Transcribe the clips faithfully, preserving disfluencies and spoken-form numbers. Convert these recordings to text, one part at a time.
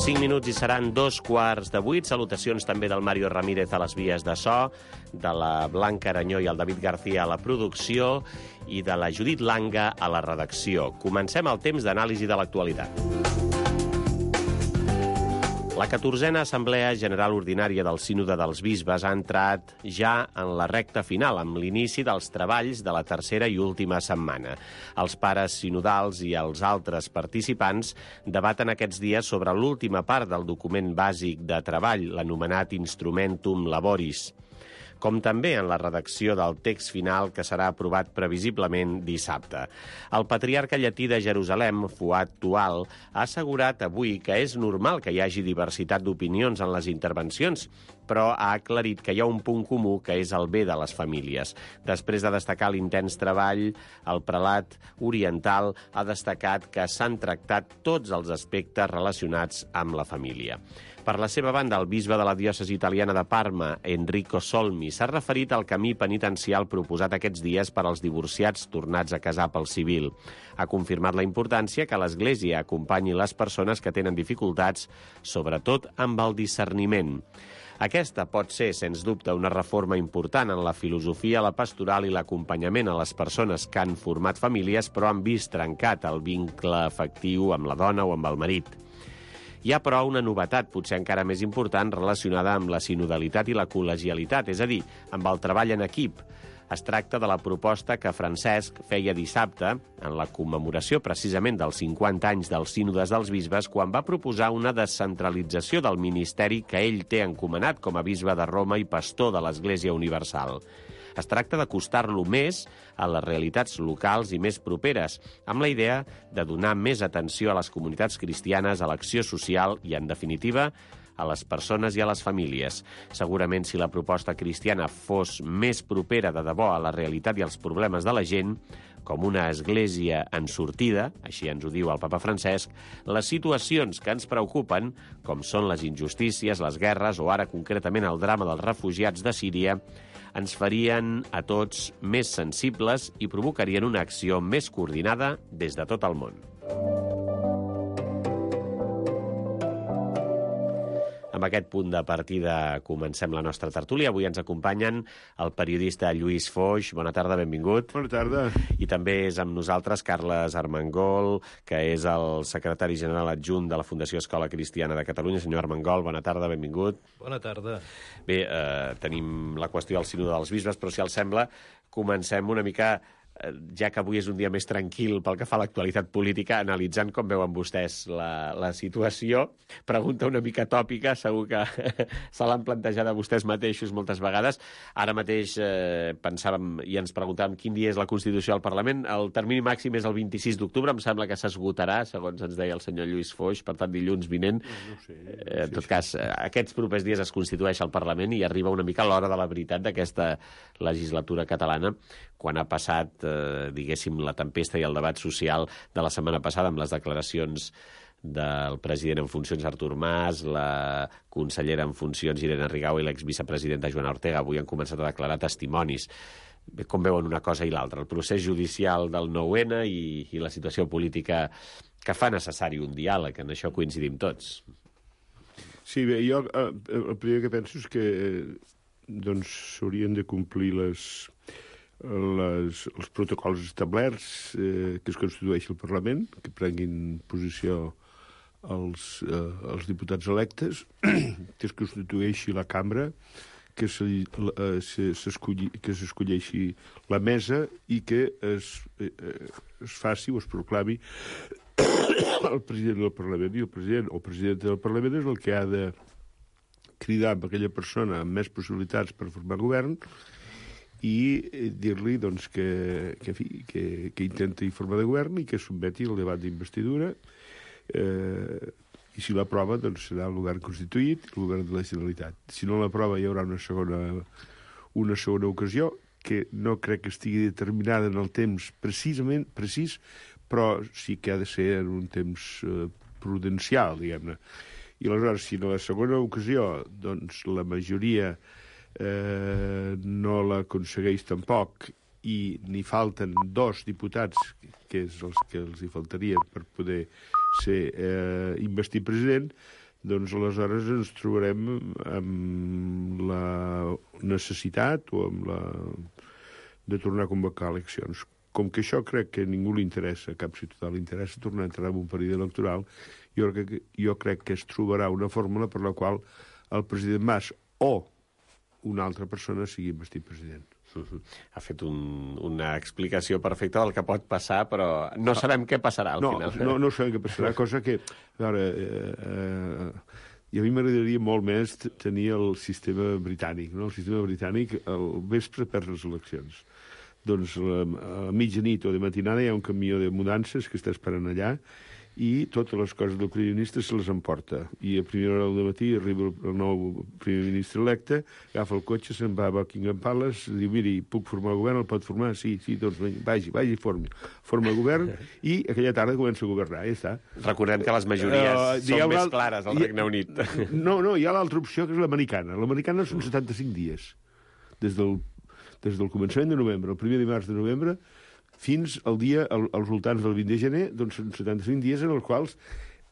cinc minuts i seran dos quarts de vuit. Salutacions també del Mario Ramírez a les vies de so, de la Blanca Aranyó i el David García a la producció i de la Judit Langa a la redacció. Comencem el temps d'anàlisi de l'actualitat. La catorzena Assemblea General Ordinària del Sínode dels Bisbes ha entrat ja en la recta final, amb l'inici dels treballs de la tercera i última setmana. Els pares sinodals i els altres participants debaten aquests dies sobre l'última part del document bàsic de treball, l'anomenat Instrumentum Laboris, com també en la redacció del text final que serà aprovat previsiblement dissabte. El patriarca llatí de Jerusalem, Fuad Tual, ha assegurat avui que és normal que hi hagi diversitat d'opinions en les intervencions, però ha aclarit que hi ha un punt comú que és el bé de les famílies. Després de destacar l'intens treball, el prelat oriental ha destacat que s'han tractat tots els aspectes relacionats amb la família. Per la seva banda, el bisbe de la diòcesi italiana de Parma, Enrico Solmi, s'ha referit al camí penitencial proposat aquests dies per als divorciats tornats a casar pel civil. Ha confirmat la importància que l'Església acompanyi les persones que tenen dificultats, sobretot amb el discerniment. Aquesta pot ser, sens dubte, una reforma important en la filosofia, la pastoral i l'acompanyament a les persones que han format famílies però han vist trencat el vincle afectiu amb la dona o amb el marit. Hi ha, però, una novetat, potser encara més important, relacionada amb la sinodalitat i la col·legialitat, és a dir, amb el treball en equip. Es tracta de la proposta que Francesc feia dissabte, en la commemoració precisament dels cinquanta anys dels sínodes dels bisbes, quan va proposar una descentralització del ministeri que ell té encomanat com a bisbe de Roma i pastor de l'Església Universal. Es tracta d'acostar-lo més a les realitats locals i més properes, amb la idea de donar més atenció a les comunitats cristianes, a l'acció social i, en definitiva, a les persones i a les famílies. Segurament, si la proposta cristiana fos més propera de debò a la realitat i als problemes de la gent, com una església en sortida, així ens ho diu el papa Francesc, les situacions que ens preocupen, com són les injustícies, les guerres o ara concretament el drama dels refugiats de Síria, ens farien a tots més sensibles i provocarien una acció més coordinada des de tot el món. Amb aquest punt de partida comencem la nostra tertúlia. Avui ens acompanyen el periodista Lluís Foix. Bona tarda, benvingut. Bona tarda. I també és amb nosaltres Carles Armengol, que és el secretari general adjunt de la Fundació Escola Cristiana de Catalunya. Senyor Armengol, bona tarda, benvingut. Bona tarda. Bé, eh, tenim la qüestió del sínode dels bisbes, però si els sembla, comencem una mica, ja que avui és un dia més tranquil pel que fa a l'actualitat política, analitzant com veuen vostès la, la situació. Pregunta una mica tòpica, segur que se l'han plantejat a vostès mateixos moltes vegades. Ara mateix eh, pensàvem i ens preguntàvem quin dia és la Constitució al Parlament. El termini màxim és el vint-i-sis d'octubre, em sembla que s'esgotarà, segons ens deia el senyor Lluís Foix, per tant dilluns vinent. No sé, no sé, eh, en tot cas, eh, aquests propers dies es constitueix el Parlament i arriba una mica l'hora de la veritat d'aquesta legislatura catalana, quan ha passat, eh, diguéssim, la tempesta i el debat social de la setmana passada amb les declaracions del president en funcions Artur Mas, la consellera en funcions Irene Rigau i l'exvicepresidenta Joana Ortega. Avui han començat a declarar testimonis. Bé, com veuen una cosa i l'altra? El procés judicial del nou ena i, i la situació política que fa necessari un diàleg. En això coincidim tots. Sí, bé, jo eh, el primer que penso és que eh, doncs s'haurien de complir les... Les, els protocols establerts, eh, que es constitueixi el Parlament, que prenguin posició els, eh, els diputats electes, que es constitueixi la cambra, que s'escolleixi la mesa i que es, eh, es faci o es proclami el president del Parlament. I el president o presidenta del Parlament és el que ha de cridar amb aquella persona amb més possibilitats per formar govern i dir-li doncs, que, que, que, que intenti formar de govern i que sotmeti el debat d'investidura, eh, i si l'aprova doncs, serà el govern constituït, el govern de la Generalitat. Si no l'aprova hi haurà una segona, una segona ocasió que no crec que estigui determinada en el temps precisament precís, però sí que ha de ser en un temps eh, prudencial, diguem-ne. I aleshores, si en la segona ocasió doncs, la majoria Eh, no l'aconsegueix tampoc i n'hi falten dos diputats, que és els que els hi faltarien per poder ser eh, investit president, doncs aleshores ens trobarem amb la necessitat o amb la de tornar a convocar eleccions. Com que això crec que a ningú li interessa, a cap ciutadà li interessa tornar a entrar en un període electoral, jo crec, que, jo crec que es trobarà una fórmula per la qual el president Mas o una altra persona sigui investit president. Uh-huh. Ha fet un, una explicació perfecta del que pot passar, però no sabem què passarà al no, final. No, no sabem què passarà, cosa que... A veure, eh, eh, i a mi m'agradaria molt més tenir el sistema britànic. No? El sistema britànic, al vespre perd les eleccions. Doncs a, a mitjanit o de matinada hi ha un camió de mudances que està esperant allà i totes les coses del primer ministre se les emporta. I a primera hora del matí arriba el nou primer ministre electe, agafa el cotxe, se'n va a Buckingham Palace, diu, miri, puc formar el govern? El pot formar? Sí, sí, doncs vagi, vagi, formi. Forma el govern i aquella tarda comença a governar, ja està. Recordem que les majories uh, són més el... clares al Regne Unit. No, no, hi ha l'altra opció, que és l'americana. L'americana són setanta-cinc dies. Des del, des del començament de novembre, el primer dimarts de novembre, fins al dia, al, als voltants del vint de gener, doncs són setanta-cinc dies en els quals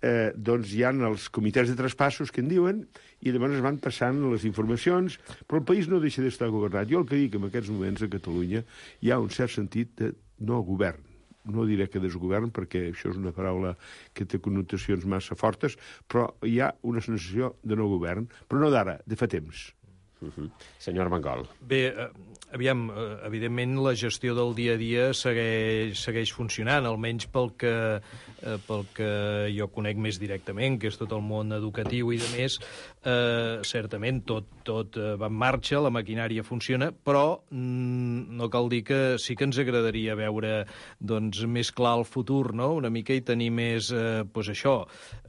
eh, doncs hi ha els comitès de traspassos que en diuen i llavors es van passant les informacions, però el país no deixa d'estar governat. Jo el que dic en aquests moments a Catalunya hi ha un cert sentit de no govern. No diré que desgovern, perquè això és una paraula que té connotacions massa fortes, però hi ha una sensació de no govern, però no d'ara, de fa temps. Uh-huh. Senyor Armengol. Bé, eh, aviam, eh, evidentment la gestió del dia a dia segueix, segueix funcionant, almenys pel que, eh, pel que jo conec més directament, que és tot el món educatiu i de més. Eh, certament tot, tot eh, va en marxa, la maquinària funciona, però mm, no cal dir que sí que ens agradaria veure doncs, més clar el futur, no? Una mica i tenir més, eh, doncs això.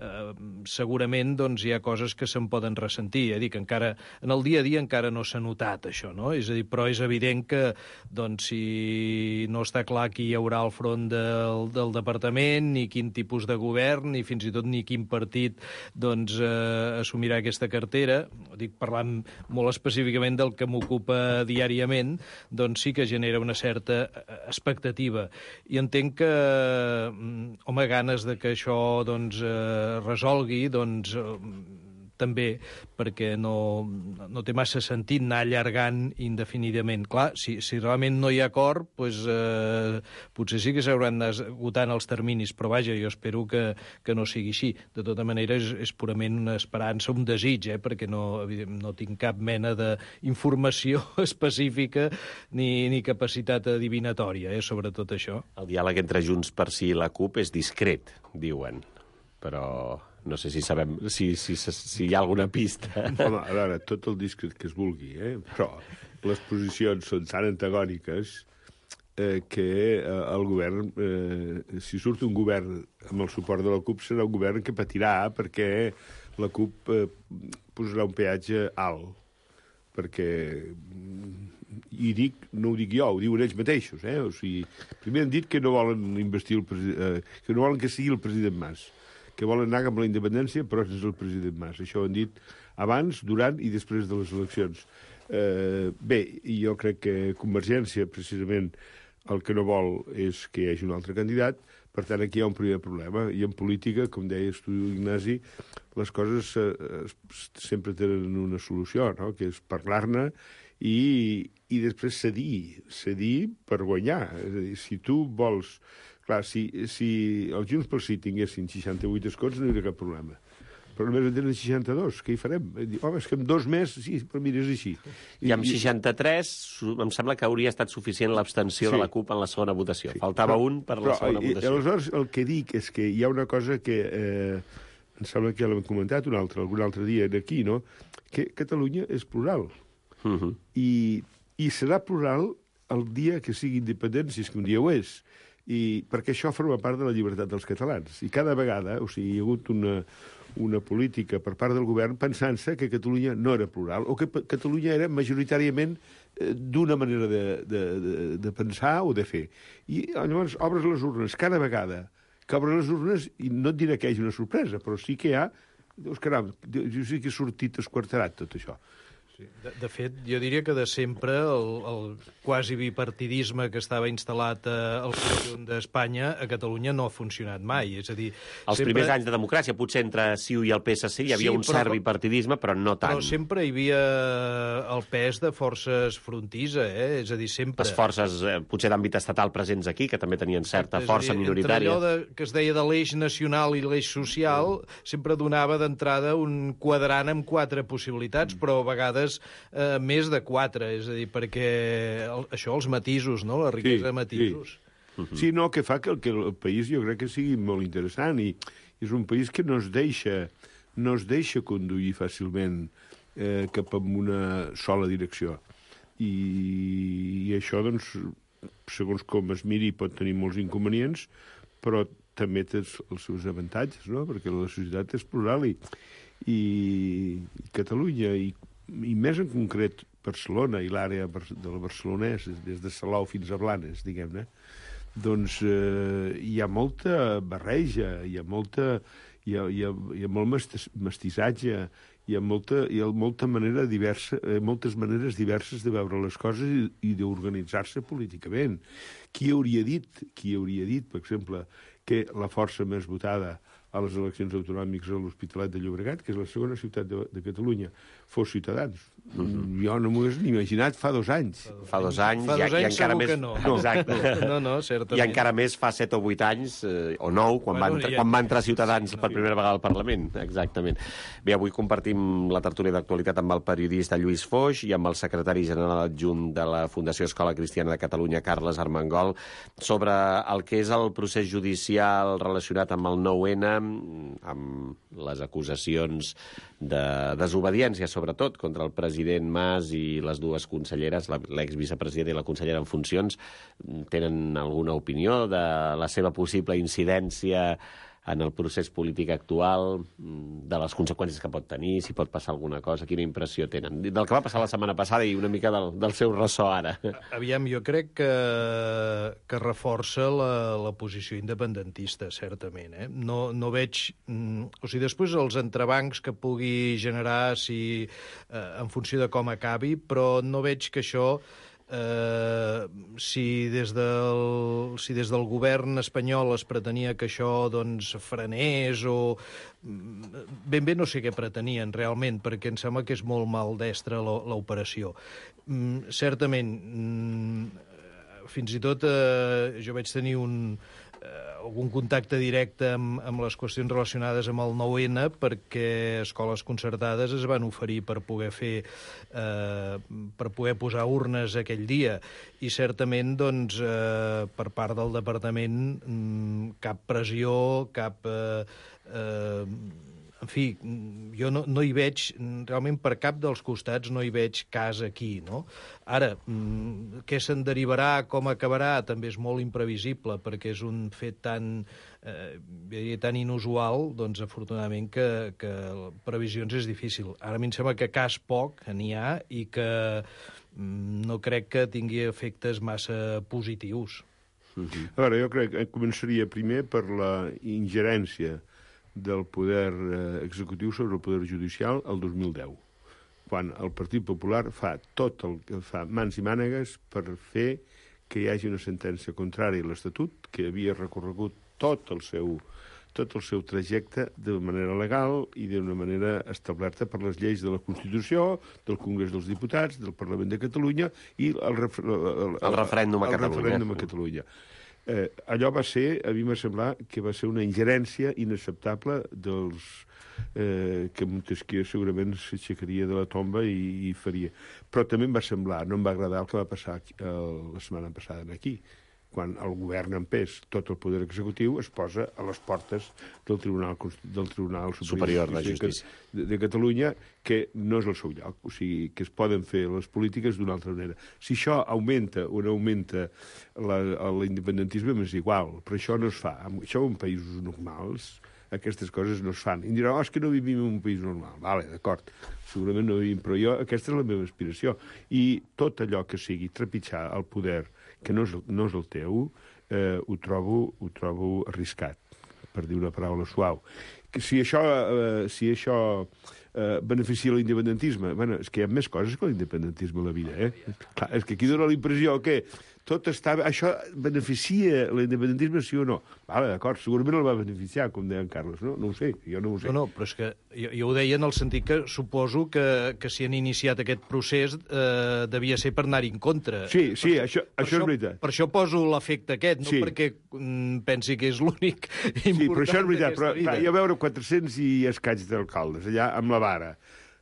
Eh, segurament doncs, hi ha coses que se'n poden ressentir, eh? Dic, encara en el dia a dia encara no s'ha notat això, no? És a dir, però és evident que doncs, si no està clar qui hi haurà al front del, del departament, ni quin tipus de govern, ni fins i tot ni quin partit doncs, eh, assumirà aquesta cartera, dic parlant molt específicament del que m'ocupa diàriament, doncs sí que genera una certa expectativa. I entenc que, home, ganes de que això doncs, eh, resolgui, doncs... Eh, també, perquè no, no té massa sentit anar allargant indefinidament. Clar, si, si realment no hi ha acord, doncs, eh, potser sí que s'hauran d'esgotant els terminis, però vaja, jo espero que, que no sigui així. De tota manera, és, és purament una esperança, un desig, eh, perquè no, no tinc cap mena d'informació específica ni, ni capacitat adivinatòria eh, sobre tot això. El diàleg entre Junts per Sí i la CUP és discret, diuen, però... No sé si sabem si, si, si hi ha alguna pista. Home, a veure, tot el discret que es vulgui, eh? Però les posicions són tan antagòniques eh, que eh, el govern, eh, si surt un govern amb el suport de la CUP, serà un govern que patirà perquè la CUP eh, posarà un peatge alt. Perquè, i dic, no ho dic jo, ho diuen ells mateixos, eh? O sigui, primer han dit que no volen investir el president, eh, que no volen que sigui el president Mas, que volen anar amb la independència, però és el president Mas. Això ho han dit abans, durant i després de les eleccions. Eh, bé, jo crec que Convergència, precisament, el que no vol és que hi hagi un altre candidat, per tant, aquí hi ha un primer problema. I en política, com deies tu, Ignasi, les coses eh, sempre tenen una solució, no? Que és parlar-ne i, i després cedir, cedir per guanyar. És a dir, si tu vols... Clar, si, si els Junts pel Sí tinguessin seixanta-vuit escons no hi hauria cap problema. Però només en tenen seixanta-dos, què hi farem? Home, és que amb dos més, sí, però mira, és així. I, I amb seixanta-tres em sembla que hauria estat suficient l'abstenció sí. de la CUP en la segona votació. Sí. Faltava però, un per però, la segona i, votació. Aleshores, el que dic és que hi ha una cosa que eh, em sembla que ja l'hem comentat un altre, algun altre dia aquí, no? Que Catalunya és plural. Uh -huh. I, I serà plural el dia que sigui independent, si és que un dia ho és. I perquè això forma part de la llibertat dels catalans. I cada vegada, o sigui, hi ha hagut una, una política per part del govern pensant-se que Catalunya no era plural o que Catalunya era majoritàriament eh, d'una manera de, de, de, de pensar o de fer. I llavors obres les urnes cada vegada que obres les urnes, i no et diré que hi hagi una sorpresa, però sí que hi ha... Dius, caram, jo sí que he sortit esquarterat tot això. Sí. De, de fet, jo diria que de sempre el, el quasi bipartidisme que estava instal·lat al conjunt d'Espanya a Catalunya no ha funcionat mai. És a dir, Els sempre... primers anys de democràcia, potser entre C I U i el P S C hi havia sí, un però, cert bipartidisme, però no tant. Però sempre hi havia el pes de forces frontisa, eh? És a dir, sempre... Les forces, eh, potser d'àmbit estatal presents aquí, que també tenien certa Exacte, força dir, minoritària. Entre allò de, que es deia de l'eix nacional i l'eix social, mm. sempre donava d'entrada un quadrant amb quatre possibilitats, mm. però a vegades Eh, més de quatre, és a dir, perquè el, això, els matisos, no?, la riquesa sí, de matisos. Sí. Uh-huh. Sí, no, que fa que el, que el país jo crec que sigui molt interessant i és un país que no es deixa, no es deixa conduir fàcilment eh, cap a una sola direcció. I, i això, doncs, segons com es miri, pot tenir molts inconvenients, però també té els seus avantatges, no?, perquè la societat és plural i, i, i Catalunya i i més en concret Barcelona i l'àrea del Barcelonès, des de Salou fins a Blanes, diguem-ne, doncs eh, hi ha molta barreja, hi ha, molta, hi ha, hi ha, hi ha molt mestissatge, hi ha molta, hi ha molta manera diversa, eh, moltes maneres diverses de veure les coses i, i d'organitzar-se políticament. Qui hauria dit, qui hauria dit, per exemple, que la força més votada a les eleccions autonòmiques a l'Hospitalet de Llobregat, que és la segona ciutat de, de Catalunya, fos Ciutadans. Mm-hmm. Jo no m'ho he ni imaginat fa dos anys. Fa dos anys, fa dos i, anys i encara segur més... que no. no. Exacte. No, no, certament. I encara més fa set o vuit anys, eh, o nou, quan, bueno, va entrar, ja... quan va entrar Ciutadans per primera vegada al Parlament. Exactament. Bé, avui compartim la tertúlia d'actualitat amb el periodista Lluís Foix i amb el secretari general adjunt de la Fundació Escola Cristiana de Catalunya, Carles Armengol, sobre el que és el procés judicial relacionat amb el nou ene, amb les acusacions de desobediència, sobretot, contra el president Mas i les dues conselleres, l'exvicepresident i la consellera en funcions. Tenen alguna opinió de la seva possible incidència en el procés polític actual, de les conseqüències que pot tenir, si pot passar alguna cosa, quina impressió tenen? Del que va passar la setmana passada i una mica del, del seu ressò ara. Aviam, jo crec que, que reforça la, la posició independentista, certament. Eh? No, no veig... O sigui, després els entrebancs que pugui generar si, eh, en funció de com acabi, però no veig que això... Uh, si, des del, si des del govern espanyol es pretenia que això doncs, frenés o... Ben bé no sé què pretenien realment, perquè em sembla que és molt maldestra l'operació. Mm, certament, mm, fins i tot uh, jo vaig tenir un... Uh, algun contacte directe amb, amb les qüestions relacionades amb el nou ene perquè escoles concertades es van oferir per poder fer eh, per poder posar urnes aquell dia i certament doncs eh, per part del departament cap pressió, cap eh, eh, en fi, jo no, no hi veig, realment per cap dels costats no hi veig cas aquí, no? Ara, què se'n derivarà, com acabarà, també és molt imprevisible, perquè és un fet tan, eh, tan inusual, doncs afortunadament que, que previsions és difícil. Ara a mi em sembla que cas poc n'hi ha i que no crec que tingui efectes massa positius. Uh-huh. A veure, jo crec que començaria primer per la ingerència del poder eh, executiu sobre el poder judicial el dos mil deu, quan el Partit Popular fa tot el que fa mans i mànegues per fer que hi hagi una sentència contrària a l'Estatut, que havia recorregut tot el seu, tot el seu trajecte de manera legal i d'una manera establerta per les lleis de la Constitució, del Congrés dels Diputats, del Parlament de Catalunya i el, ref el, el, el referèndum a el Catalunya. Referèndum a Catalunya. Eh, allò va ser, a mi m'ha semblat que va ser una ingerència inacceptable dels eh, que Montesquieu segurament s'aixecaria de la tomba i, i faria. Però també em va semblar, no em va agradar el que va passar aquí, el, la setmana passada aquí, quan el govern en pes, tot el poder executiu, es posa a les portes del Tribunal, del Tribunal Superior, Superior de Justícia de, de Catalunya, que no és el seu lloc, o sigui, que es poden fer les polítiques d'una altra manera. Si això augmenta o no augmenta l'independentisme, m'és igual, però això no es fa. Això en països normals, aquestes coses no es fan. I em dirà, oh, és que no vivim en un país normal. Vale, d'acord, segurament no vivim, però jo, aquesta és la meva aspiració. I tot allò que sigui trepitjar el poder que no és, no és el teu, eh, ho, trobo, ho trobo arriscat, per dir una paraula suau. si això, eh, si això eh, beneficia l'independentisme, bueno, és que hi ha més coses que l'independentisme a la vida, eh? Clar, és que aquí dona la impressió que tot està... Això beneficia l'independentisme, sí o no? Vale, d'acord, segurament el va beneficiar, com deia en Carles, no? No ho sé, jo no ho sé. No, no, però és que jo, jo ho deia en el sentit que suposo que, que si han iniciat aquest procés eh, devia ser per anar-hi en contra. Sí, sí, per, això, per això és veritat. Per això poso l'efecte aquest, no Sí. perquè mm, pensi que és l'únic important Sí, però això és veritat, però vida. clar, hi va veure quatre-cents i escaig d'alcaldes allà amb la vara.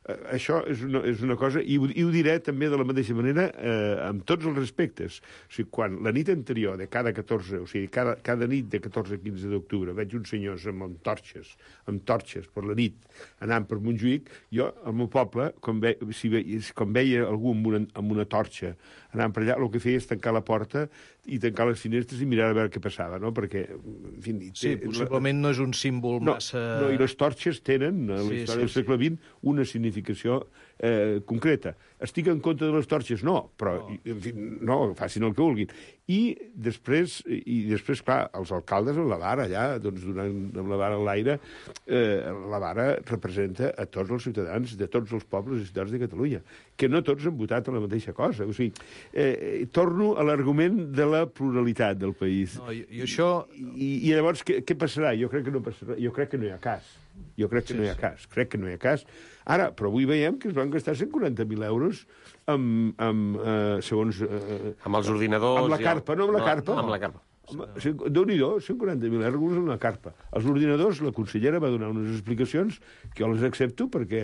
Eh, això és una, és una cosa, i ho, i ho diré també de la mateixa manera eh, amb tots els respectes. O sigui, quan la nit anterior de cada catorze, o sigui, cada, cada nit de catorze a quinze d'octubre veig uns senyors amb, amb torxes, amb torxes per la nit, anant per Montjuïc, jo, al meu poble, com, ve, si ve, com veia algú amb una, amb una torxa anant per allà, el que feia és tancar la porta i tancar les finestres i mirar a veure què passava, no? Perquè, en fi... Sí, té, possiblement no és un símbol no, massa... No, i les torxes tenen, a la Sí, història sí, del segle vint, una significació eh, concreta. Estic en contra de les torxes? No, però, no. en fi, no, facin el que vulguin. I després, i després, clar, els alcaldes amb la vara allà, doncs, donant amb la vara a l'aire, eh, la vara representa a tots els ciutadans de tots els pobles i ciutats de Catalunya, que no tots han votat a la mateixa cosa. O sigui, eh, torno a l'argument de la pluralitat del país. No, i, i això... I, I llavors, què, què passarà? Jo crec que no passarà. Jo crec que no hi ha cas. Jo crec que sí, no hi ha sí. cas. Crec que no hi ha cas. Ara, però avui veiem que es van gastar cent quaranta mil euros amb, amb eh, segons... Eh, amb els ordinadors... Amb la carpa, no amb la carpa. No, amb la carpa. Déu-n'hi-do, cent quaranta mil euros en la carpa. Els ordinadors, la consellera va donar unes explicacions que jo les accepto perquè,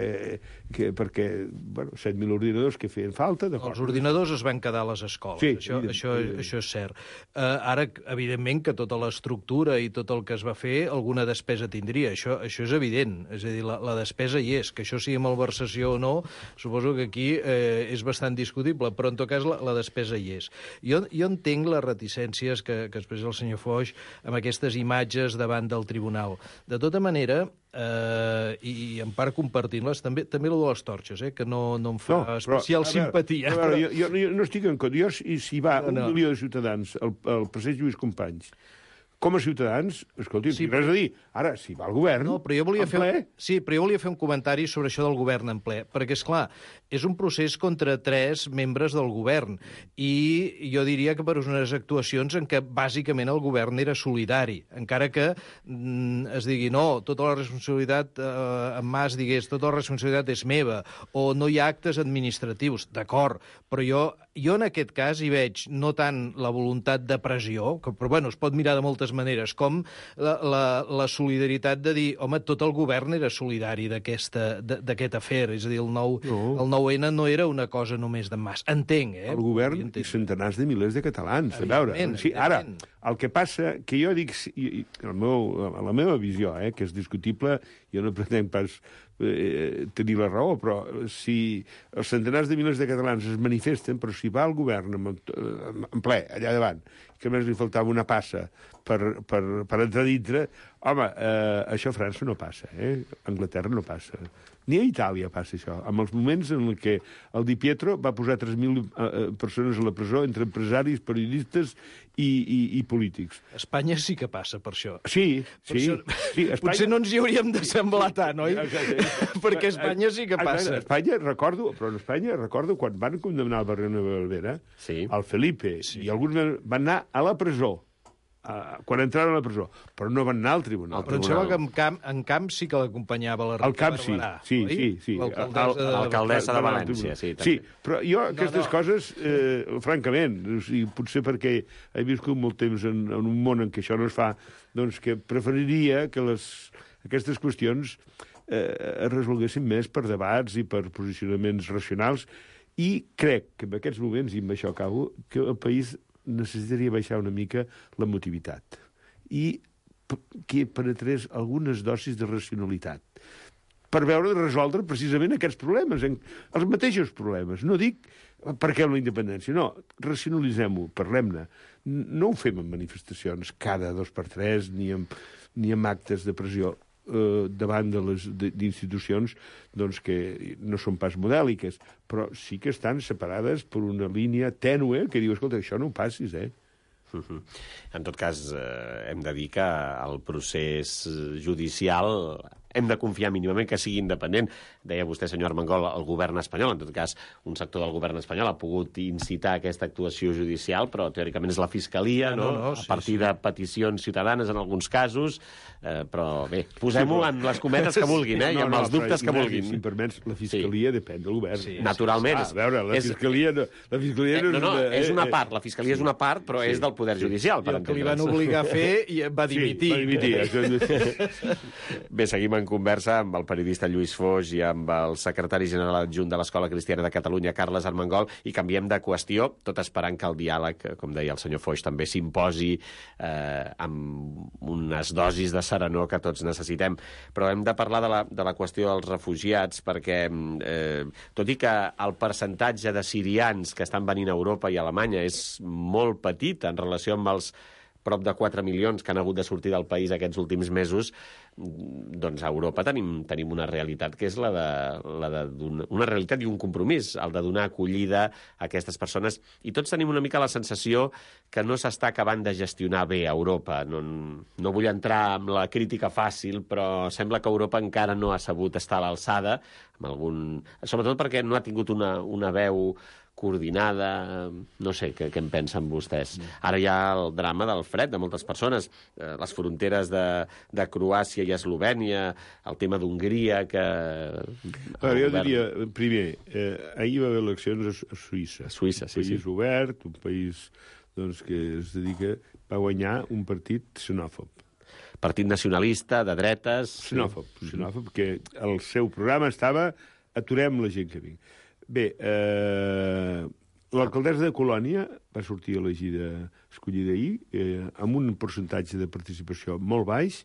que, perquè bueno, set mil ordinadors que feien falta. Els ordinadors es van quedar a les escoles, sí, això, evident, això, evident. això és cert. Uh, ara, evidentment, que tota l'estructura i tot el que es va fer, alguna despesa tindria, això, això és evident. És a dir, la, la despesa hi és. Que això sigui malversació o no, suposo que aquí eh, és bastant discutible, però en tot cas la, la despesa hi és. Jo, jo entenc les reticències que, que es el senyor Foix, amb aquestes imatges davant del tribunal. De tota manera, eh, i, i en part compartint-les, també també el de les torxes, eh, que no, no em fa no, especial però, simpatia. A veure, jo, jo, jo no estic en compte. Jo, si, si va no, no. un milió de ciutadans al, al passeig Lluís Companys, com a ciutadans, escolti, sí, res a dir. Ara, si va al govern, no, però jo volia fer, ple... Sí, però jo volia fer un comentari sobre això del govern en ple, perquè, és clar, és un procés contra tres membres del govern, i jo diria que per unes actuacions en què bàsicament el govern era solidari, encara que mm, es digui, no, tota la responsabilitat, eh, en Mas digués, tota la responsabilitat és meva, o no hi ha actes administratius, d'acord, però jo, jo en aquest cas hi veig no tant la voluntat de pressió, que, però bueno, es pot mirar de moltes maneres, com la, la, la solidaritat de dir, home, tot el govern era solidari d'aquest afer, és a dir, el nou, no. el nou ene no era una cosa només d'en Mas. Entenc, eh? El govern i centenars de milers de catalans, a veure. Sí, ara, el que passa, que jo dic, i, el meu, la meva visió, eh, que és discutible, jo no pretenc pas eh, tenir la raó, però si els centenars de milers de catalans es manifesten, però si va al govern en, en ple, allà davant, que només li faltava una passa per, per, per entrar dintre, home, eh, això a França no passa, eh? A Anglaterra no passa. Ni a Itàlia passa això. En els moments en què el Di Pietro va posar tres mil eh, persones a la presó entre empresaris, periodistes i, i, i polítics. A Espanya sí que passa per això. Sí, per sí. Això... sí Espanya... Potser no ens hi hauríem d'assemblar tant, oi? Perquè a Espanya sí que passa. A Espanya, recordo, però en Espanya, recordo quan van condemnar el Barrio Nueva Valvera, sí. el Felipe sí. i alguns van anar a la presó, Uh, quan entraven a la presó, però no van anar al tribunal. Però em sembla que en Camp, en Camp sí que l'acompanyava la Rita Camp, Barberà, sí, sí, sí, sí. L'alcaldessa de, de València, sí. Sí, però jo aquestes no, no. coses, eh, francament, o sigui, potser perquè he viscut molt temps en, en un món en què això no es fa, doncs que preferiria que les, aquestes qüestions eh, es resolguessin més per debats i per posicionaments racionals, i crec que en aquests moments, i amb això acabo, que el país necessitaria baixar una mica l'emotivitat i que penetrés algunes dosis de racionalitat per veure de resoldre precisament aquests problemes, els mateixos problemes. No dic per què la independència, no, racionalitzem-ho, parlem-ne. No ho fem en manifestacions cada dos per tres ni amb, ni amb actes de pressió eh, davant de les d'institucions doncs, que no són pas modèliques, però sí que estan separades per una línia tènue que diu, escolta, això no ho passis, eh? En tot cas, eh, hem de dir que el procés judicial hem de confiar mínimament que sigui independent. Deia vostè, senyor Armengol, el govern espanyol, en tot cas, un sector del govern espanyol ha pogut incitar aquesta actuació judicial, però teòricament és la Fiscalia, no? no, no, a sí, partir sí. de peticions ciutadanes en alguns casos, eh, però bé, posem-ho en les cometes que vulguin, eh, i amb els dubtes que vulguin. Si em permets, la Fiscalia sí. depèn del govern. Sí, naturalment. Ah, a veure, la és, Fiscalia, no, la Fiscalia no, no, no, és una... és una part, la Fiscalia és una part, però sí, és del Poder Judicial, sí, per el que li van entendre'ns. obligar a fer i va dimitir. Sí, va dimitir. Això... Bé, seguim en conversa amb el periodista Lluís Foix i amb el secretari general adjunt de l'Escola Cristiana de Catalunya, Carles Armengol, i canviem de qüestió, tot esperant que el diàleg, com deia el senyor Foix, també s'imposi eh, amb unes dosis de serenor que tots necessitem. Però hem de parlar de la, de la qüestió dels refugiats, perquè eh, tot i que el percentatge de sirians que estan venint a Europa i a Alemanya és molt petit en relació amb els prop de quatre milions que han hagut de sortir del país aquests últims mesos, doncs a Europa tenim, tenim una realitat que és la de, la de donar, una realitat i un compromís, el de donar acollida a aquestes persones. I tots tenim una mica la sensació que no s'està acabant de gestionar bé a Europa. No, no vull entrar en la crítica fàcil, però sembla que Europa encara no ha sabut estar a l'alçada, amb algun... sobretot perquè no ha tingut una, una veu coordinada, no sé, què, què en pensen vostès. Ara hi ha el drama del fred de moltes persones, eh, les fronteres de, de Croàcia i Eslovènia, el tema d'Hongria, que... Ara, jo govern... diria, primer, eh, ahir va haver eleccions a, a Suïssa. A Suïssa, sí, un país sí. obert, un país doncs, que es dedica... va guanyar un partit xenòfob. Partit nacionalista, de dretes... Xenòfob, xenòfob, que el seu programa estava aturem la gent que vingui. Bé, eh, l'alcaldessa de Colònia va sortir elegida, escollida ahir, eh, amb un percentatge de participació molt baix,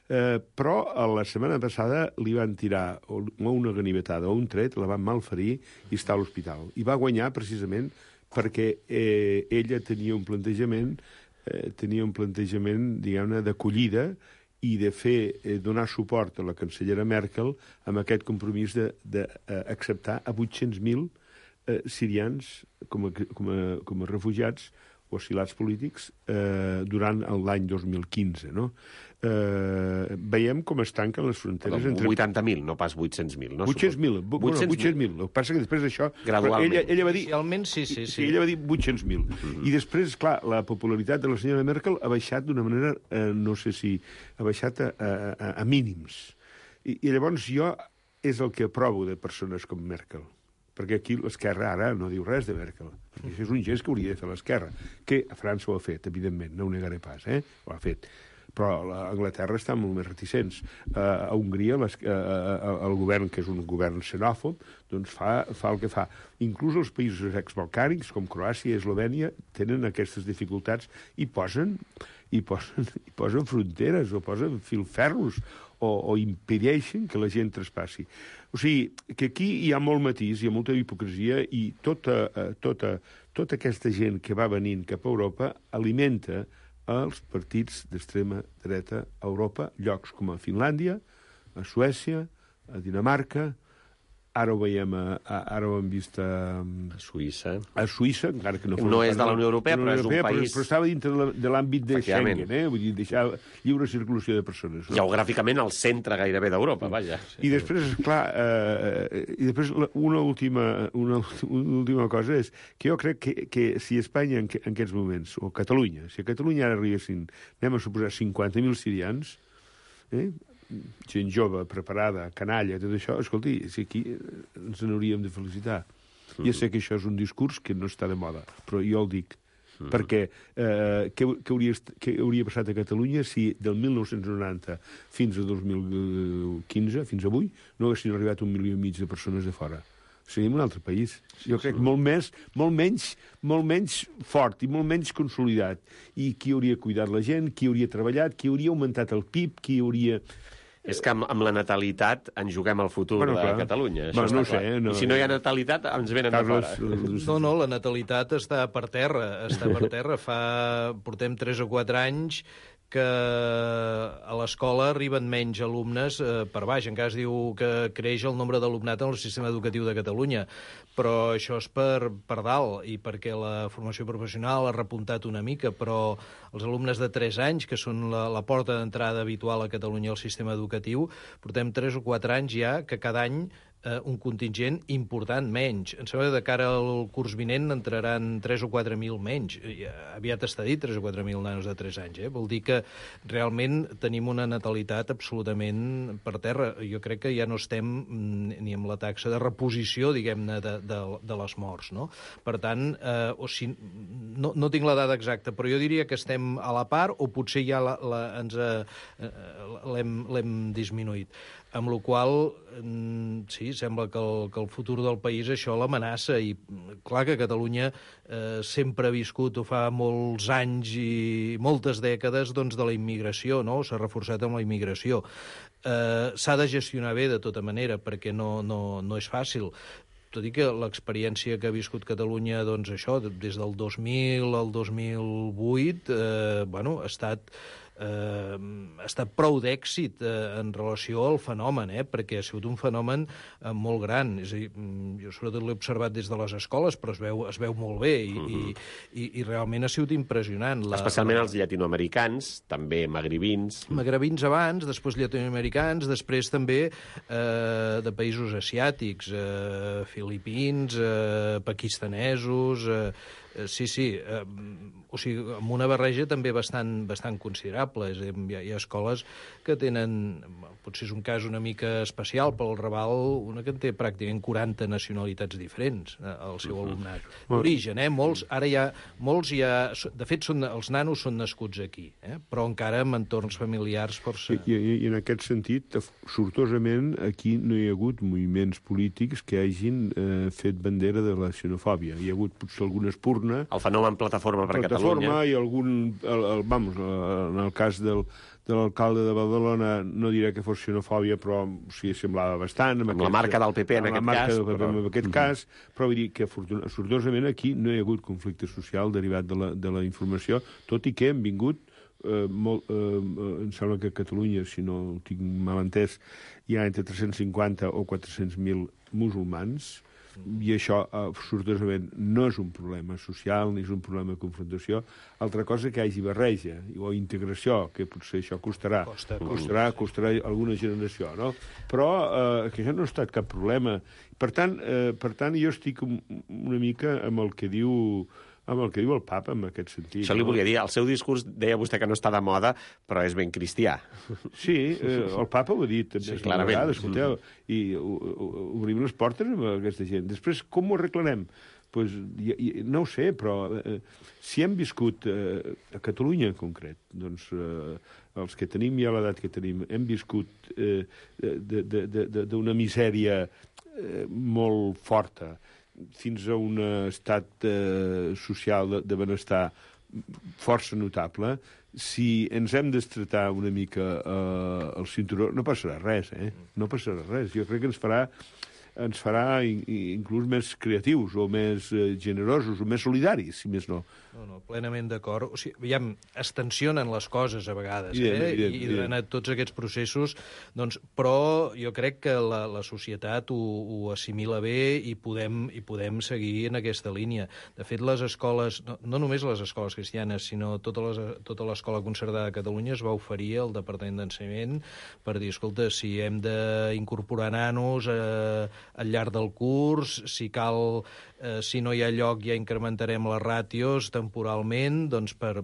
eh, però a la setmana passada li van tirar o una ganivetada o un tret, la van malferir i està a l'hospital. I va guanyar precisament perquè eh, ella tenia un plantejament, eh, tenia un plantejament, diguem-ne, d'acollida i de fer, eh, donar suport a la cancellera Merkel amb aquest compromís d'acceptar a vuit-cents mil eh, sirians com a, com, a, com a refugiats o asilats polítics eh, durant l'any dos mil quinze. No? Eh, veiem com es tanquen les fronteres entre... vuitanta mil, no pas vuit-cents mil. No? vuit-cents mil. vuit-cents mil. El que passa que després d'això... Gradualment. Ella, ella va dir... Inicialment, sí, sí, sí. Ella va dir vuit-cents mil. Mm-hmm. I després, clar, la popularitat de la senyora Merkel ha baixat d'una manera, eh, no sé si... ha baixat a, a, a mínims. I, I llavors jo és el que aprovo de persones com Merkel. Perquè aquí l'esquerra ara no diu res de Merkel. Això és un gest que hauria de fer l'esquerra, que a França ho ha fet, evidentment, no ho negaré pas, eh? Ho ha fet. Però a Anglaterra estan molt més reticents. Uh, a Hongria, les, uh, uh, el govern, que és un govern xenòfob, doncs fa, fa el que fa. Inclús els països exbalcànics, com Croàcia i Eslovènia, tenen aquestes dificultats i posen, i posen, i posen fronteres o posen filferros o, o impedeixen que la gent traspassi. O sigui, que aquí hi ha molt matís, hi ha molta hipocresia i tota, tota, tota aquesta gent que va venint cap a Europa alimenta els partits d'extrema dreta a Europa, llocs com a Finlàndia, a Suècia, a Dinamarca, ara ho veiem, a, a, ara ho hem vist a, a Suïssa. A Suïssa, encara que no... No és de la Unió Europea, però és un país... Però, però estava dintre de l'àmbit de Schengen, eh? Vull dir, deixar lliure circulació de persones. No? Geogràficament al centre gairebé d'Europa, vaja. I després, clar, eh, i després una última, una, una última cosa és que jo crec que, que si Espanya en, en aquests moments, o Catalunya, si a Catalunya ara arribessin, anem a suposar, cinquanta mil sirians, eh? gent jove, preparada, canalla, tot això, escolti, si aquí ens n'hauríem de felicitar. Mm. Ja sé que això és un discurs que no està de moda, però jo el dic. Mm. Perquè eh, què, què, hauria, què hauria passat a Catalunya si del mil nou-cents noranta fins a dos mil quinze, fins avui, no haguessin arribat un milió i mig de persones de fora? Seríem un altre país. Jo crec molt més, molt menys, molt menys fort i molt menys consolidat. I qui hauria cuidat la gent, qui hauria treballat, qui hauria augmentat el P I B, qui hauria... És que amb, amb la natalitat ens juguem el futur bueno, de clar. Catalunya. Això bueno, no està sé, clar. no... I si no hi ha natalitat, ens venen Carles, de fora. No, no, la natalitat està per terra. Està per terra. Fa... Portem tres o quatre anys que a l'escola arriben menys alumnes eh, per baix. Encara es diu que creix el nombre d'alumnat en el sistema educatiu de Catalunya, però això és per, per dalt i perquè la formació professional ha repuntat una mica, però els alumnes de tres anys, que són la, la porta d'entrada habitual a Catalunya al sistema educatiu, portem tres o quatre anys ja que cada any eh, un contingent important menys. Em sembla que de cara al curs vinent entraran tres o quatre mil menys. Aviat està dit tres o quatre mil nanos de tres anys. Eh? Vol dir que realment tenim una natalitat absolutament per terra. Jo crec que ja no estem ni amb la taxa de reposició, diguem-ne, de, de, de les morts. No? Per tant, eh, o si, no, no tinc la dada exacta, però jo diria que estem a la part o potser ja la, la, ens eh, l'hem disminuït. Amb la qual sí, sembla que el, que el futur del país això l'amenaça i clar que Catalunya eh, sempre ha viscut o fa molts anys i moltes dècades doncs, de la immigració, no? S'ha reforçat amb la immigració. Eh, s'ha de gestionar bé de tota manera perquè no, no, no és fàcil. Tot i que l'experiència que ha viscut Catalunya, doncs això, des del dos mil al dos mil vuit, eh, bueno, ha estat... Eh, ha estat prou d'èxit eh, en relació al fenomen, eh, perquè ha sigut un fenomen eh, molt gran. És a dir, jo sobretot l'he observat des de les escoles, però es veu, es veu molt bé i, uh -huh. i, i, i realment ha sigut impressionant. La, Especialment la... els llatinoamericans, també magribins. Magribins abans, després llatinoamericans, després també eh, de països asiàtics, eh, filipins, eh, pakistanesos... Eh, Sí, sí, eh, o sigui, amb una barreja també bastant, bastant considerable. És a dir, hi ha, hi ha escoles que tenen, potser és un cas una mica especial, però el Raval, una que en té pràcticament quaranta nacionalitats diferents eh, al seu alumnat. D'origen, eh? Molts, ara hi ha, molts ja, de fet, són, els nanos són nascuts aquí, eh? Però encara amb entorns familiars força... I, i, i en aquest sentit, sortosament, aquí no hi ha hagut moviments polítics que hagin eh, fet bandera de la xenofòbia. Hi ha hagut potser algunes purnes. El fenomen Plataforma per Plataforma Catalunya. I algun, el, el, vamos, en el cas del, de l'alcalde de Badalona, no diré que fos xenofòbia, però sí, semblava bastant. Amb, amb aquesta, la marca del P P en aquest cas. Del P P però... en aquest cas, però vull dir que sortosament aquí no hi ha hagut conflicte social derivat de la, de la informació, tot i que hem vingut Eh, molt, eh, em sembla que a Catalunya, si no ho tinc mal entès, hi ha entre tres-cents cinquanta o quatre-cents mil musulmans, i això, eh, sortosament, no és un problema social ni és un problema de confrontació. Altra cosa que hi hagi barreja o integració, que potser això costarà, Costa, costarà, costarà alguna generació, no? Però eh, que això no ha estat cap problema. Per tant, eh, per tant jo estic una mica amb el que diu... amb el que diu el papa, en aquest sentit. Això li no? volia dir. El seu discurs, deia vostè que no està de moda, però és ben cristià. Sí, eh, el papa ho ha dit. Sí, clarament. Vegades, escolteu, i obrim les portes amb aquesta gent. Després, com ho arreglarem? Pues, i, i, no ho sé, però eh, si hem viscut eh, a Catalunya en concret, doncs eh, els que tenim ja l'edat que tenim, hem viscut eh, d'una misèria eh, molt forta, fins a un estat eh, social de, de benestar força notable, si ens hem d'estretar una mica eh, el cinturó, no passarà res, eh? No passarà res. Jo crec que ens farà ens farà inclús més creatius o més eh, generosos o més solidaris, si més no. No, no, plenament d'acord. O sigui, aviam, es tensionen les coses a vegades, yeah, eh? yeah, I, yeah. I durant tots aquests processos, doncs, però jo crec que la, la societat ho, ho assimila bé i podem, i podem seguir en aquesta línia. De fet, les escoles, no, no només les escoles cristianes, sinó tota, les, tota l'escola concertada de Catalunya es va oferir al Departament d'Ensenyament per dir, escolta, si hem d'incorporar nanos eh, al llarg del curs, si cal, eh, si no hi ha lloc ja incrementarem les ràtios temporalment, doncs per,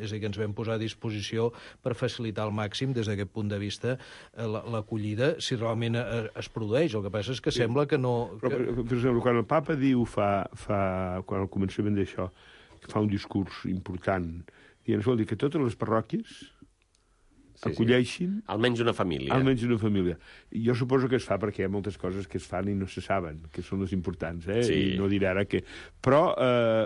és a dir, que ens vam posar a disposició per facilitar al màxim des d'aquest punt de vista l'acollida, si realment es produeix. El que passa és que sí. Sembla que no... Però, per, per exemple, quan el papa diu fa, fa quan al començament d'això, que fa un discurs important, dient, vol dir que totes les parròquies sí, acolleixin... Sí. Almenys una família. Almenys una família. I jo suposo que es fa perquè hi ha moltes coses que es fan i no se saben, que són les importants, eh? Sí. I no diré ara que... Però, eh,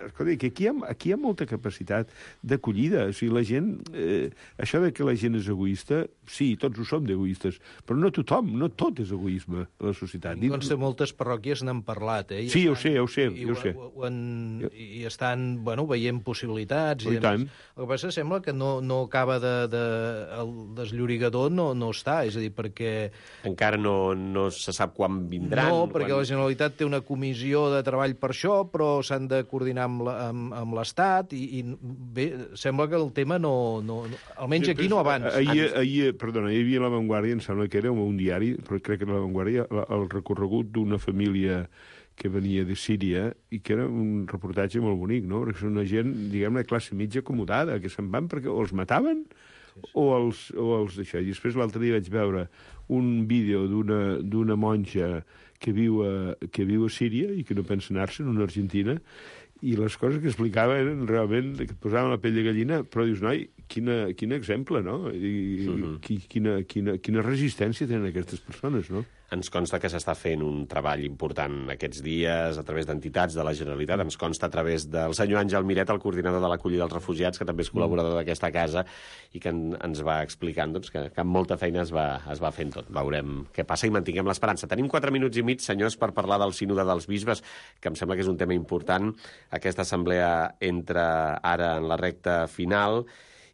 escolta, que aquí hi ha, aquí hi ha molta capacitat d'acollida. O sigui, la gent... Eh, això de que la gent és egoista, sí, tots ho som d'egoistes, però no tothom, no tot és egoisme a la societat. Em consta moltes parròquies n'han parlat, eh? I sí, estan, ho sé, ho sé, i, ho sé. Ho, ho en, I estan, bueno, veient possibilitats. Oh, i, i tant. El que passa sembla que no, no acaba de... de el desllorigador no, no està, és a dir, perquè... Encara no, no se sap quan vindran. No, perquè quan... la Generalitat té una comissió de treball per això, però s'han de coordinar amb, la, amb, amb l'Estat i, i bé, sembla que el tema no... no, no almenys aquí no avança. Ahir, ahir, perdona, hi havia La Vanguardia, em sembla que era un diari, però crec que era La Vanguardia, el recorregut d'una família que venia de Síria i que era un reportatge molt bonic, no? Perquè són una gent, diguem-ne, classe mitja acomodada, que se'n van perquè o els mataven o els, o els d'això. I després l'altre dia vaig veure un vídeo d'una monja que viu, a, que viu a Síria i que no pensa anar-se'n, una argentina, i les coses que explicava eren realment que et posaven la pell de gallina, però dius, noi, quina, quin exemple, no? I, uh-huh. quina, quina, quina resistència tenen aquestes persones, no? Ens consta que s'està fent un treball important aquests dies a través d'entitats de la Generalitat. Ens consta a través del senyor Àngel Miret, el coordinador de l'acollida dels refugiats, que també és col·laborador d'aquesta casa i que en, ens va explicant doncs, que, que amb molta feina es va, es va fent tot. Veurem què passa i mantinguem l'esperança. Tenim quatre minuts i mig, senyors, per parlar del sínode dels bisbes, que em sembla que és un tema important. Aquesta assemblea entra ara en la recta final.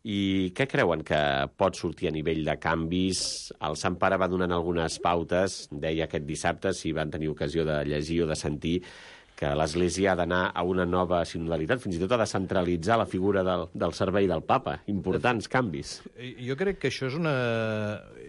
I què creuen que pot sortir a nivell de canvis? El Sant Pare va donant algunes pautes, deia aquest dissabte, si van tenir ocasió de llegir o de sentir, que l'Església ha d'anar a una nova sinodalitat, fins i tot ha de centralitzar la figura del, del servei del papa. Importants canvis. Jo crec que això és una,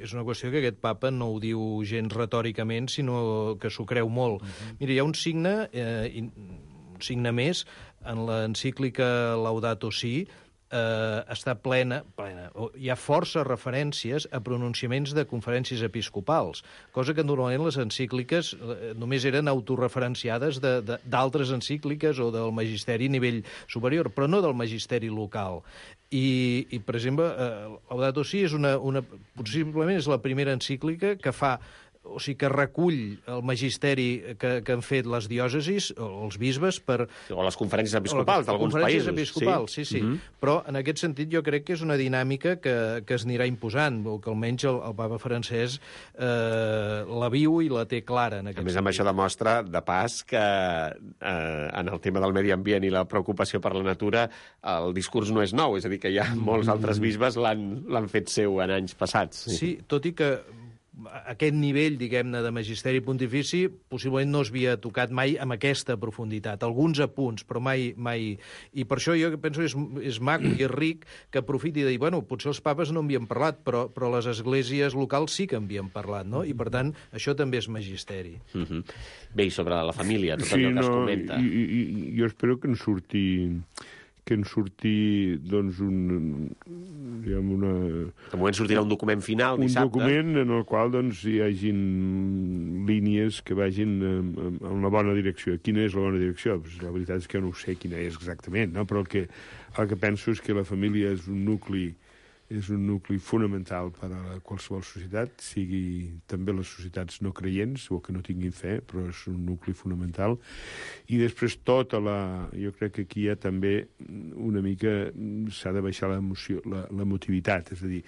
és una qüestió que aquest papa no ho diu gens retòricament, sinó que s'ho creu molt. Uh-huh. Mira, hi ha un signe, eh, un signe més, en l'encíclica Laudato Si, eh, està plena, plena, hi ha força referències a pronunciaments de conferències episcopals, cosa que normalment les encícliques eh, només eren autorreferenciades d'altres encícliques o del magisteri a nivell superior, però no del magisteri local. I, i per exemple, eh, Laudato Si és una, una, possiblement és la primera encíclica que fa o sigui, que recull el magisteri que, que han fet les diòcesis, o els bisbes, per... O les conferències episcopals d'alguns països. Conferències episcopals, sí, sí. sí. Mm-hmm. Però en aquest sentit jo crec que és una dinàmica que, que es anirà imposant, o que almenys el, el papa francès eh, la viu i la té clara en aquest sentit. A més, amb això demostra, de pas, que eh, en el tema del medi ambient i la preocupació per la natura el discurs no és nou, és a dir, que ja molts altres bisbes l'han fet seu en anys passats. Sí, sí, tot i que aquest nivell, diguem-ne, de magisteri pontifici possiblement no es havia tocat mai amb aquesta profunditat. Alguns apunts, però mai... mai... I per això jo penso que és, és maco i és ric que aprofiti de dir, bueno, potser els papes no en havien parlat, però, però les esglésies locals sí que en havien parlat, no? I, per tant, això també és magisteri. Mm-hmm. Bé, i sobre la família, tot sí, allò que no, es comenta. I, i, jo espero que en surti... que en surti, doncs, un... diguem, una... De moment sortirà un document final dissabte. Un document en el qual, doncs, hi hagin línies que vagin en, en la bona direcció. Quina és la bona direcció? Pues la veritat és que no sé quina és exactament, no? Però el que, el que penso és que la família és un nucli és un nucli fonamental per a qualsevol societat, sigui també les societats no creients o que no tinguin fe, però és un nucli fonamental. I després tota la... Jo crec que aquí hi ha també una mica... s'ha de baixar l'emoció, la, l'emotivitat, és a dir,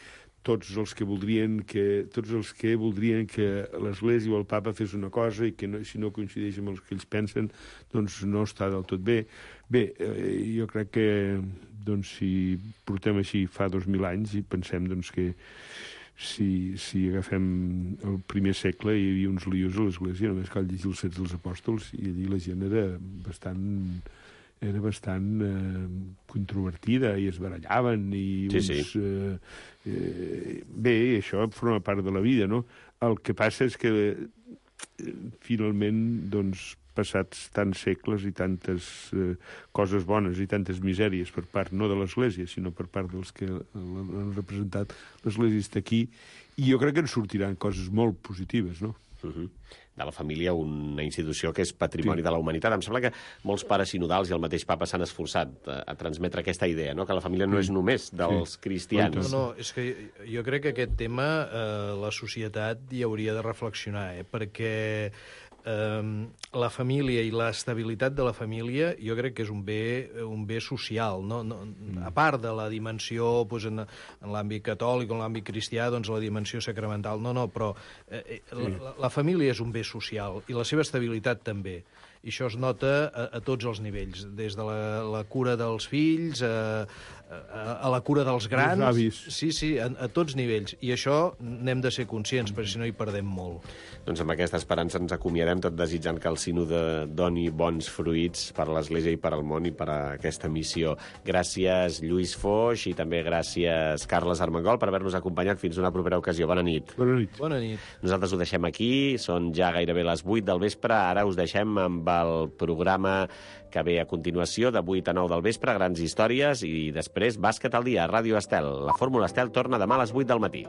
tots els que voldrien que tots els que voldrien que l'Església o el Papa fes una cosa i que no, si no coincideix amb els que ells pensen, doncs no està del tot bé. Bé, eh, jo crec que doncs, si portem així fa dos mil anys i pensem doncs, que si, si agafem el primer segle hi havia uns lios a l'Església, només cal llegir els Fets dels Apòstols i allí la gent era bastant... era bastant eh, controvertida i es barallaven i sí, uns... Sí. Eh, eh, bé, això forma part de la vida, no? El que passa és que eh, finalment, doncs, passats tants segles i tantes eh, coses bones i tantes misèries per part no de l'Església, sinó per part dels que l'han representat, l'Església està aquí i jo crec que en sortiran coses molt positives, no? Uh-huh. De la família, una institució que és patrimoni sí. de la humanitat. Em sembla que molts pares sinodals i el mateix papa s'han esforçat a, a transmetre aquesta idea, no? Que la família no és només dels sí. cristians. No, no, és que jo crec que aquest tema eh, la societat hi hauria de reflexionar, eh? Perquè eh, la família i l'estabilitat de la família jo crec que és un bé, un bé social, no? No, a part de la dimensió doncs, en, en l'àmbit catòlic o en l'àmbit cristià, doncs la dimensió sacramental, no, no, però eh, sí. la, la família és un bé social i la seva estabilitat també. I això es nota a, a tots els nivells, des de la, la cura dels fills a, a, a la cura dels grans. Els avis. Sí, sí, a, a tots nivells. I això n'hem de ser conscients, perquè si no hi perdem molt. Doncs amb aquesta esperança ens acomiadem, tot desitjant que el sínode doni bons fruits per l'Església i per al món i per a aquesta missió. Gràcies, Lluís Foix, i també gràcies, Carles Armengol, per haver-nos acompanyat fins una propera ocasió. Bona nit. Bona nit. Bona nit. Nosaltres ho deixem aquí, són ja gairebé les vuit del vespre, ara us deixem amb el programa que ve a continuació de vuit a nou del vespre, grans històries, i després Bàsquet al dia, a Ràdio Estel. La Fórmula Estel torna demà a les vuit del matí.